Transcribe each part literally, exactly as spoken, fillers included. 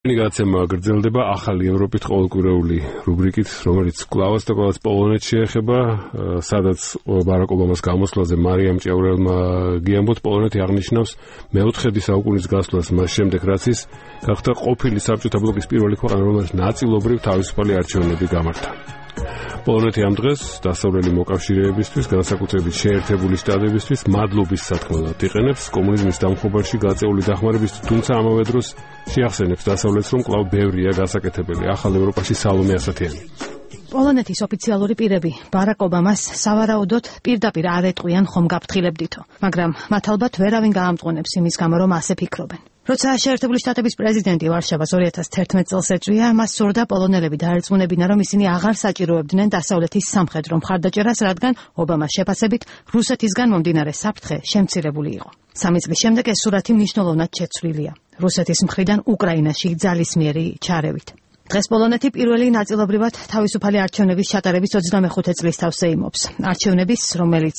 გაცემა გრძელდება ახალი ევროპით ყოველკვირეული რუბრიკით, რომელიც კვლავაც და კვლავაც პოლონეთს შეეხება, სადაც ბარაკ ობამას გამოსვლაზე მარიამ ჭიაურელმა გიამბოთ, პოლონეთი აღნიშნავს მეოთხედი საუკუნის გასვლას მას შემდეგ, რაც ის გახდა ყოფილი საბჭოთა ბლოკის პირველი ქვეყანა, რომელიც ნაწილობრივ თავისუფალი არჩევნები გამართა. პოლონეთი ამ დღეს დასავლელი მოკავშირეებისთვის, განსაკუთრებით შეერთებული შტატებისთვის მადლობის სათქმელად იყენებს კომუნიზმის დამხობაში გაწეული დახმარებისთვის, თუმცა ამავე დროს შეახსენებს დასავლეთს, რომ კვლავ ბევრია გასაკეთებელი ახალ ევროპაში სალომე ასათიანი. პოლონეთის ოფიციალური პირები ბარაკ ობამას სავარაუდოდ პირდაპირ არ ეტყვიან ხომ გაფრთხილებდითო, მაგრამ მათ ალბათ ვერავინ გაამტყუნებს იმის გამო, რომ ასე ფიქრობენ. როცა შეერთებული შტატების პრეზიდენტი ვარშავას ორი ათას თერთმეტ წელს ეწვია, მას სურდა პოლონელები დაერწმუნებინა, რომ ისინი აღარ საჭიროებდნენ დასავლეთის სამხედრო მხარდაჭერას, რადგან ობამას შეფასებით რუსეთისგან მომდინარე საფრთხე შემცირებული იყო. სამი წლის შემდეგ ეს სურათი მნიშვნელოვნად შეცვლილია რუსეთის მხრიდან უკრაინაში ძალისმიერი ჩარევით. დღეს პოლონეთი პირველი ნაწილობრივად თავისუფალი არჩევნების ჩატარების ოცდამეხუთე წლის თავს ეიმობს. არჩევნების, რომელიც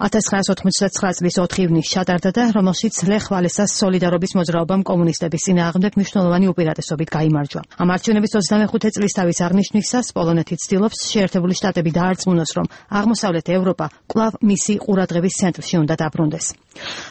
ათას ცხრაასი ოთხმოცდათცხრა წლის ოთხი ივნისს ჩატარდა და რომელშიც ლეხ ვალესას სოლიდარობის მოძრაობამ კომუნისტების წინააღმდეგ მნიშვნელოვანი უპირატესობით გაიმარჯვა. ამ არჩევნების ოცდამეხუთე წლისთავის აღნიშვნისას პოლონეთი ცდილობს შეერთებული შტატები დაარწმუნოს, რომ აღმოსავლეთ ევროპა კვლავ მისი ყურადღების ცენტრში უნდა დაბრუნდეს.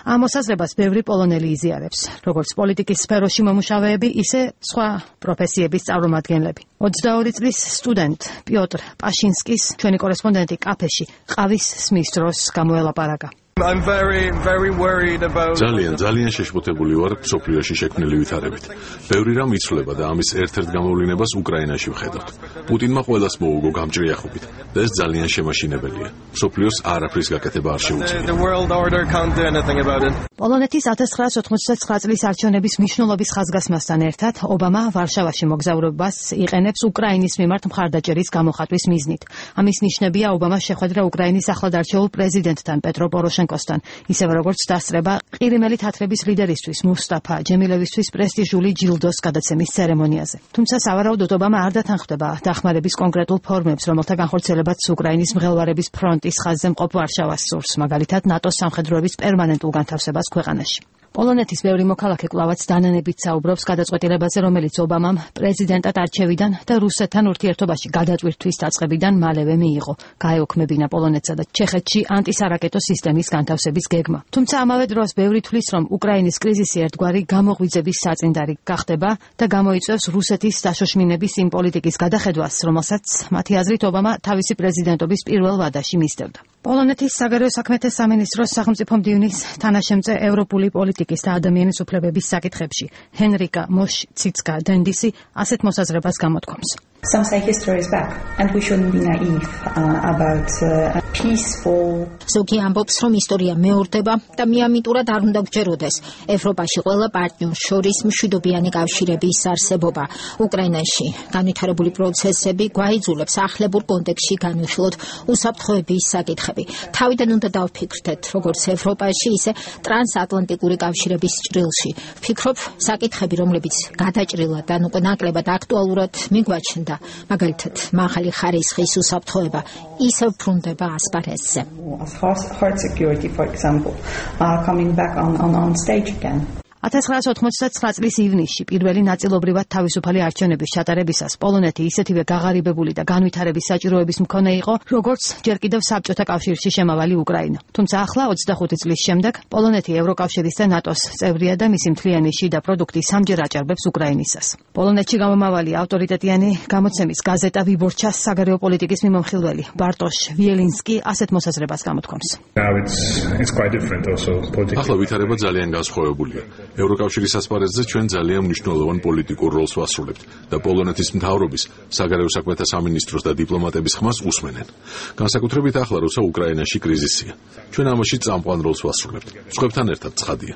ამ მოსაზრებას ბევრი პოლონელი იზიარებს, როგორც პოლიტიკის სფეროში მომუშავეები, ისე სხვა პროფესიების წარმომადგენლები. ოცდაორი წლის სტუდენტ პიოტრ პაშინსკის ჩვენი კორესპონდენტი კაფეში ყავის სმის დროს გამოელაპარაკა. I'm very very worried about ძალიან ძალიან შეშფოთებული ვარ სოფლიოში შექმნილი ვითარებით. ბევრი რამ იცვლება და ამის ერთ-ერთ გამოვლენებას უკრაინაში ვხედავთ. პუტინმა ყველას მოუგო გამჭრიახობით და ეს ძალიან შემაშინებელია. სოფლიოს არაფრის გაკეთება არ შეუძლია. the world order can't do anything about it. პოლონეთის ათას ცხრაასი ოთხმოცდათცხრა წლის არჩევნების მნიშვნელობის ხაზგასმასთან ერთად ობამა ვარშავაში მოგზაურობას იყენებს უკრაინის მიმართ მხარდაჭერის გამოხატვის მიზნით. ამის ნიშნებია ობამას შეხვედრა უკრაინის ახლად არჩეულ პრეზიდენტთან პეტრო პოროშენკოსთან, ისევე როგორც დასწრება ყირიმელი თათრების ლიდერისთვის მუსტაფა ჯემილევისთვის პრესტიჟული ჯილდოს გადაცემის ცერემონიაზე. თუმცა სავარაუდოდ ობამა არ დათანხმდება დახმარების კონკრეტულ ფორმებს, რომელთა განხორციელებაც უკრაინის მღელვარების ფრონტის ხაზზე მყოფ ვარშავას სურს, მაგალითად ნატოს სამხედროების პერმანენტულ განთავსებას ქვეყანაში. პოლონეთის ბევრი მოქალაქე კვლავაც დანანებით საუბრობს გადაწყვეტილებაზე, რომელიც ობამამ პრეზიდენტად არჩევიდან და რუსეთთან ურთიერთობაში გადაწყვეტვის დაწყებიდან მალევე მიიღო, გაეოქმებინა პოლონეთსა და ჩეხეთში ანტისარაკეტო სისტემის განთავსების გეგმა. თუმცა ამავე დროს ბევრი თვლის, რომ უკრაინის კრიზისი ერთგვარი გამოღვიძების საწინდარი გახდება და გამოიწვევს რუსეთის დაშოშმინების იმ პოლიტიკის გადახედვას, რომელსაც მათი აზრით ობამა თავისი პრეზიდენტობის პირველ ვადაში მისდევდა. პოლონეთის საგარეო საქმეთა სამინისტროს სახელმწიფო მდივნის თანაშემწე ევროპული პოლიტიკის და ადამიანის უფლებების საკითხებში ჰენრიკა მოშციცკა დენდისი ასეთ მოსაზრებას გამოთქვამს. Some say history is back and we shouldn't be naive uh, about uh, peaceful. ზოგი ამბობს, რომ ისტორია მეორდება და მიამიტურად არ უნდა გჯეროდეს ევროპაში ყველა პარტნიორს შორის მშვიდობიანი კავშირების არსებობა. უკრაინაში განვითარებული პროცესები გვაიძულებს ახლებურ კონტექსტში განვიხილოთ უსაფრთხოების საკითხები. თავიდან უნდა დავფიქრდეთ, როგორც ევროპაში, ისე ტრანსატლანტიკური კავშირების ჭრილში. ვფიქრობ, საკითხები, რომლებიც გადაჭრილად ან უკვე ნაკლებად აქტუალურად მიგვაჩნდა, მაგალითად, მაღალი ხარისხის უსაფრთხოება ისევ ბრუნდება ასპარეზზე. Hard security, for example, are coming back on, on, on stage again. ათას ცხრაასი ოთხმოცდათცხრა წლის ივნისში პირველი ნაწილობრივად თავისუფალი არჩევნების ჩატარებისას პოლონეთი ისეთივე გაღარიბებული და განვითარების საჭიროების მქონე იყო, როგორც ჯერ კიდევ საბჭოთა კავშირში შემავალი უკრაინა. თუმცა ახლა ოცდახუთი წლის შემდეგ პოლონეთი ევროკავშირის და ნატოს წევრია და მისი მთლიანი შიდა პროდუქტი სამჯერ აჭარბებს უკრაინისას. პოლონეთში გამომავალი ავტორიტეტიანი გამოცემის გაზეტა ვიბორჩას საგარეო პოლიტიკის მიმომხილველი ბარტოშ ვიელინსკი ასეთ მოსაზრებას გამოთქვამს. ახლა ვითარება ძალიან განსხვავებულია. ევროკავშირის ასპარეზზე ჩვენ ძალიან მნიშვნელოვან პოლიტიკურ როლს ვასრულებთ და პოლონეთის მთავრობის, საგარეო საქმეთა სამინისტროს და დიპლომატების ხმას უსმენენ. განსაკუთრებით ახლა, როცა უკრაინაში კრიზისია. ჩვენ ამაში წამყვან როლს ვასრულებთ. სხვებთან ერთად ცხადია.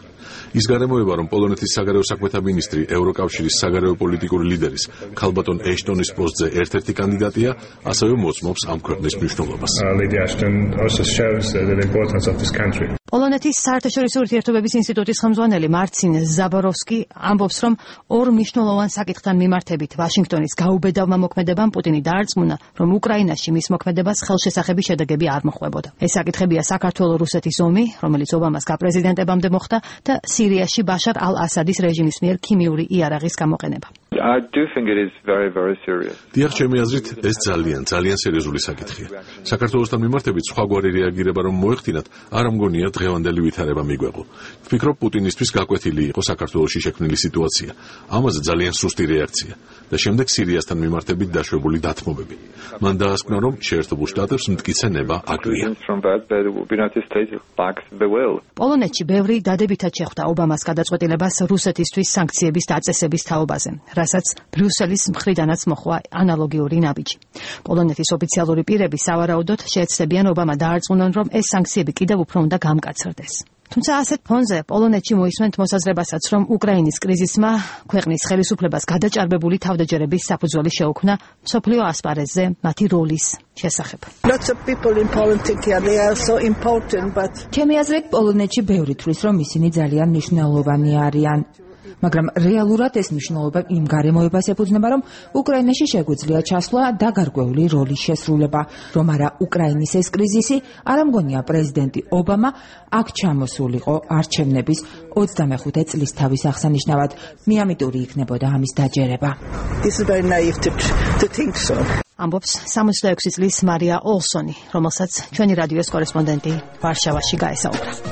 ის გარემოება, რომ პოლონეთის საგარეო საქმეთა მინისტრი ევროკავშირის საგარეო პოლიტიკური ლიდერის ქალბატონ ეშტონის პოსტზე ერთ-ერთი კანდიდატია, ასევე მოწმობს ამ ქვეყნის მნიშვნელობას. პოლონეთის საერთაშორისო ურთიერთობების ინსტიტუტის ხელმძღვანელი მარცინ ზაბოროვსკი ამბობს, რომ ორ მნიშვნელოვან საკითხთან მიმართებით ვაშინგტონის გაუბედავმა მოქმედებამ პუტინი დაარწმუნა, რომ უკრაინაში მის მოქმედებას ხელშესახები შედეგები არ მოჰყვებოდა. ეს საკითხებია საქართველო-რუსეთის ომი, რომელიც ობამას გაპრეზიდენტებამდე მოხდა და სირიაში ბაშარ ალ-ასადის რეჟიმის მიერ ქიმიური იარაღის გამოყენება. I do think it is very very serious. დიახ, ჩემი აზრით, ეს ძალიან, ძალიან სერიოზული საკითხია. საქართველოსთან მიმართებით სხვაგვარი რეაგირება რომ მოეხდინათ, არ ამგონია დღევანდელი ვითარება მიგვეღო. ვფიქრობ, პუტინისთვის გაკვეთილი იყო საქართველოში შექმნილი სიტუაცია. ამაზე ძალიან სუსტი რეაქცია და შემდეგ სირიასთან მიმართებით დაშვებული დათმობები. მან დაასკვნა, რომ შეერთებულ შტატებს მტკიცე ნება აკლია. პოლონეთში ბევრი დადებითად შეხვდა ობამას გადაწყვეტილებას რუსეთისთვის სანქციების დაწესების თაობაზე, რასაც ბრიუსელის მხრიდანაც მოხდა ანალოგიური ნაბიჯი. პოლონეთის ოფიციალური პირები სავარაუდოდ შეეცდებიან ობამა დაარწმუნონ, რომ ეს სანქციები კიდევ უფრო უნდა გამკაცრდეს. თუმცა ასეთ ფონზე პოლონეთში მოისმენთ მოსაზრებასაც, რომ უკრაინის კრიზისმა ქვეყნის ხელისუფლებას გადაჭარბებული თავდაჯერების საფუძველი შეუქმნა მსოფლიო ასპარეზზე მათი როლის შესახებ. ჩემი აზრით, პოლონეთში ბევრი თვლის, რომ ისინი ძალიან მნიშვნელოვანი არიან. მაგრამ რეალურად ეს მნიშვნელობა იმ გარემოებას ეფუძნება, რომ უკრაინაში შეგვიძლია ჩასვლა და გარკვეული როლის შესრულება, რომ არა უკრაინის ეს კრიზისი, არ ამგონია პრეზიდენტი ობამა აქ ჩამოსულიყო არჩევნების ოცდამეხუთე წლის თავის აღსანიშნავად. მიამიტური იქნებოდა ამის დაჯერება. ამბობს სამოცდაექვსი წლის მარია ოლსონი, რომელსაც ჩვენი რადიოს კორესპონდენტი ვარშავაში გაესაუბრა.